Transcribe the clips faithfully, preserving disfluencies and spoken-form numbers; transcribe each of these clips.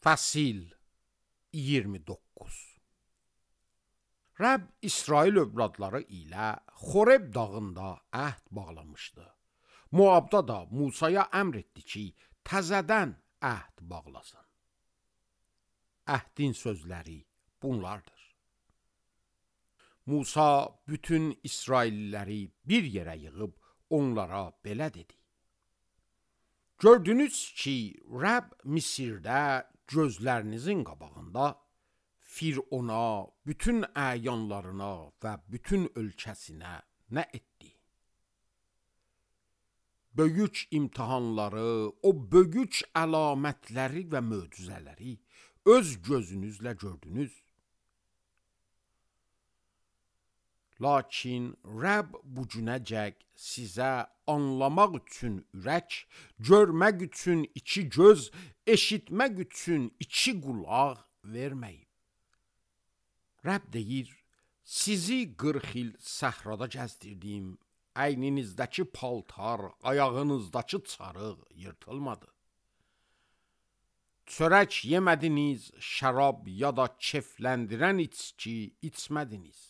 Fəsil iyirmi doqquz. Rəbb İsrail övladları ilə Xoreb dağında əhd bağlamışdı. Moabda da Musaya əmr etdi ki, təzədən əhd bağlasın. Əhdin sözləri bunlardır. Musa bütün İsrailliləri bir yerə yığıb onlara belə dedi. Gördünüz ki, Rəbb Misirdə gözlərinizin qabağında Firona, bütün əyanlarına və bütün ölkəsinə nə etdi? Böyük imtihanları, o böyük əlamətləri və möcüzələri öz gözünüzlə gördünüz. Lakin Rəbb bu günəcək sizə anlamaq üçün ürək, görmək üçün iki göz, eşitmək üçün iki qulaq verməyib. Rəbb deyir, sizi qırx il səhrada gəzdirdim, əyninizdəki paltar, ayağınızdakı çarıq yırtılmadı. Çörək yemədiniz, şərab ya da kefləndirən içki içmədiniz.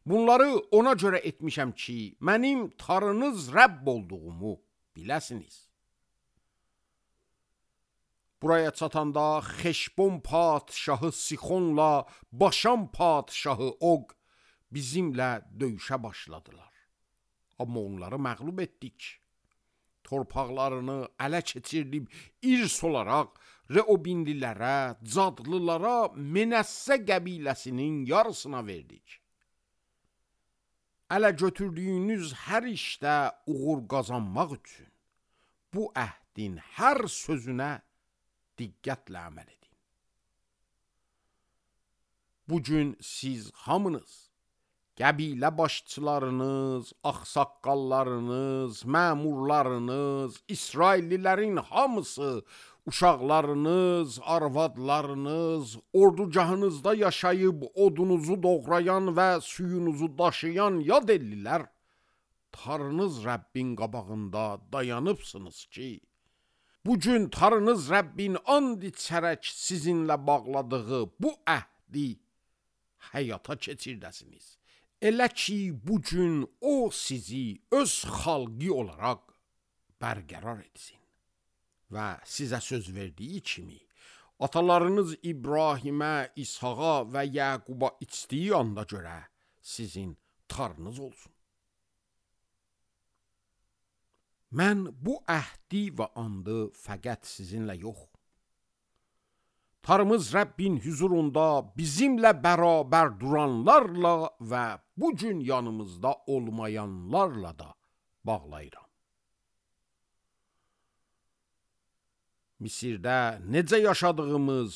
Bunları ona görə etmişəm ki, mənim Tanrınız Rəbb olduğumu biləsiniz. Buraya çatanda Xeşbon padşahı Sixonla Başan padşahı Og bizimlə döyüşə başladılar. Amma onları məğlub etdik. Torpaqlarını ələ keçirdib irs olaraq Reobinlilərə, Cadlılara, Menəssə qəbiləsinin yarısına verdik. Ələ götürdüyünüz hər işdə uğur qazanmaq üçün bu əhdin hər sözünə diqqətlə əməl edin. Bugün siz hamınız, qəbilə başçılarınız, ağsaqqallarınız, məmurlarınız, İsraillilərin hamısı, uşaqlarınız, arvadlarınız, ordugahınızda yaşayıb odunuzu doğrayan və suyunuzu daşıyan yad ellilər, Tanrınız Rəbbin qabağında dayanıbsınız ki, bugün Tanrınız Rəbbin and içərək sizinlə bağladığı bu əhdi həyata keçirdəsiniz. Elə ki, bugün o sizi öz xalqı olaraq bərqərar etsin. Və sizə söz verdiyi kimi, atalarınız İbrahimə, İshaqa və Yaquba içdiyi anda görə sizin Tanrınız olsun. Mən bu əhdi və andı fəqət sizinlə yox, Tanrımız Rəbbin huzurunda bizimlə bərabər duranlarla və bugün yanımızda olmayanlarla da bağlayıram. Misirdə necə yaşadığımız,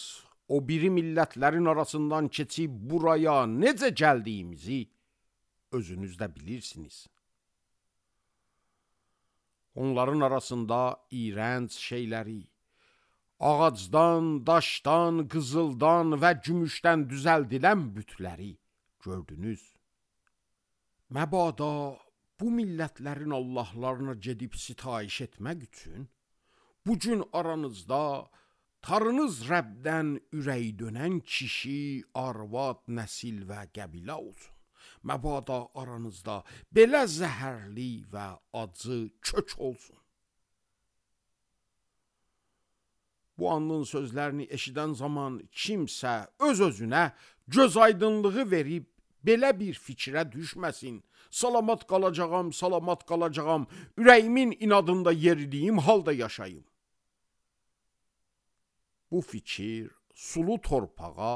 o biri millətlərin arasından keçib buraya necə gəldiyimizi özünüz də bilirsiniz. Onların arasında iyrənc şeyləri, ağacdan, daşdan, qızıldan və gümüşdən düzəldilən bütləri gördünüz. Məbada bu millətlərin Allahlarına gedib sitayiş etmək üçün, bugün aranızda Tanrınız Rəbdən ürək dönən kişi, arvad, nəsil və qəbilə olsun. Məbada aranızda belə zəhərli və acı kök olsun. Bu andın sözlərini eşidən zaman kimsə öz-özünə göz aydınlığı verib belə bir fikrə düşməsin. Salamat qalacağam, salamat qalacağam, ürəyimin inadında yeridiyim halda yaşayım. Bu fikir sulu torpağa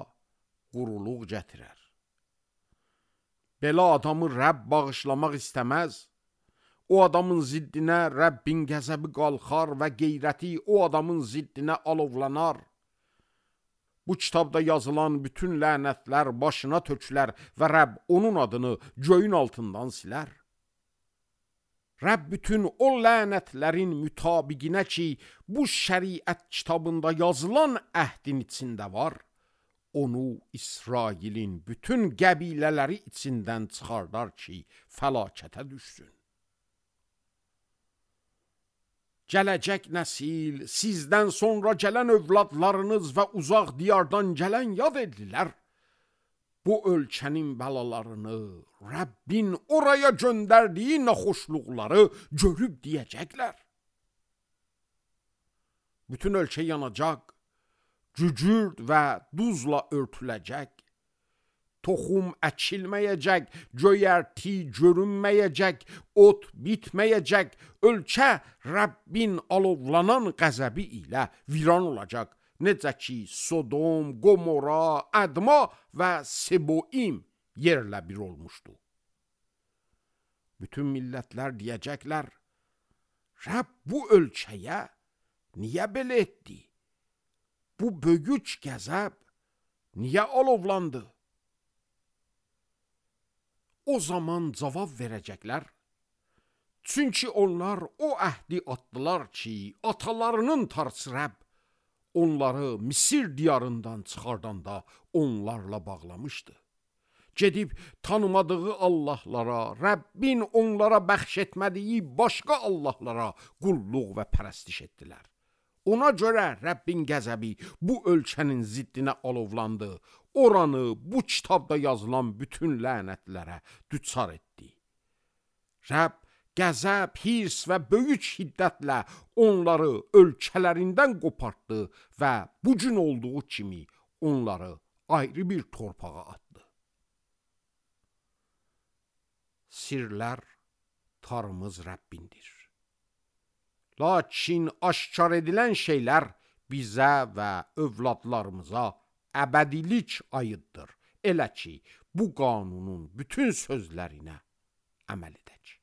quruluq gətirər. Belə adamı Rəbb bağışlamaq istəməz. O adamın ziddinə Rəbbin qəzəbi qalxar və qeyrəti o adamın ziddinə alovlanar. Bu kitabda yazılan bütün lənətlər başına tökülər və Rəbb onun adını göyün altından silər. Rəbb bütün o lənətlərin mütabiqinə ki, bu şəriət kitabında yazılan əhdin içində var, onu İsrailin bütün qəbilələri içindən çıxardar ki, fəlakətə düşsün. gələcək nəsil, sizdən sonra gələn övladlarınız və uzaq diyardan gələn yad ellilər, bu ölkənin bəlalarını, Rəbbin oraya göndərdiyi naxoşluqları görüb deyəcəklər. Bütün ölkə yanacaq, cücürd və duzla örtüləcək, toxum əkilməyəcək, göyərti görünməyəcək, ot bitməyəcək, ölkə Rəbbin alovlanan qəzəbi ilə viran olacaq. Necə ki, Sodom, Gomora, Ədma və Seboim yerlə bir olmuşdu. Bütün millətlər deyəcəklər, Rəbb bu ölkəyə niyə belə etdi? Bu böyük qəzəb niyə alovlandı? O zaman cavab verəcəklər. Çünki onlar o əhdi atdılar ki, atalarının Tanrısı Rəbb onları Misir diyarından çıxardanda onlarla bağlamışdı. Gedib tanımadığı Allahlara, Rəbbin onlara bəxş etmədiyi başqa Allahlara qulluq və pərəstiş etdilər. Ona görə Rəbbin qəzəbi bu ölkənin ziddinə alovlandı. Oranı bu kitabda yazılan bütün lənətlərə düçar etdi. Rəbb qəzəb, hirs və böyük hiddətlə onları ölkələrindən qopartdı və bu gün olduğu kimi onları ayrı bir torpağa atdı. Sirlər Tanrımız Rəbbindir. Lakin aşkar edilən şeylər bizə və övladlarımıza əbədilik aiddir. Elə ki, bu qanunun bütün sözlərinə əməl edək.